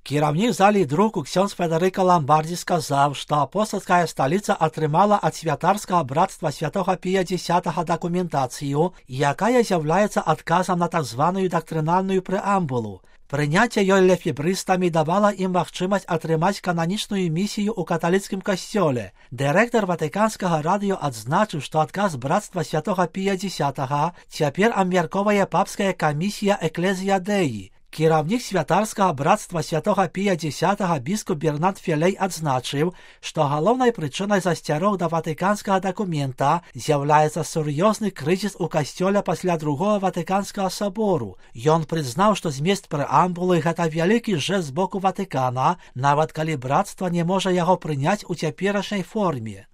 Кіраўнік залі друку ксёндз Федэрыка Ламбардзі сказаў, што апостальская сталіца атрымала ад святарскага брацтва святога Пія X дакументацыю, якая з'яўляецца адказам на так званую дактрынальную прэамбулу. Прыняцце ёй лефебрыстамі давала ім магчымасць атрымаць кананічную місію ў каталіцкім касцёле. Дырэктар Ватыканскага радыё адзначыў, што адказ брацтва святога Пія X цяпер абмяркоўвае папская камісія Экклезія Дэі. Кіраўнік святарскага брацтва святога Пія X біскуп Бернард Фелей адзначыў, што галоўнай прычынай засцярог да ватыканскага дакумента з'яўляецца сур'ёзны крызіс у касцёле пасля другога ватыканскага сабору. Ён прызнаў, што змест прэамбулы гэта вялікі жэст з боку Ватыкана, нават калі брацтва не можа яго прыняць у цяперашняй форме.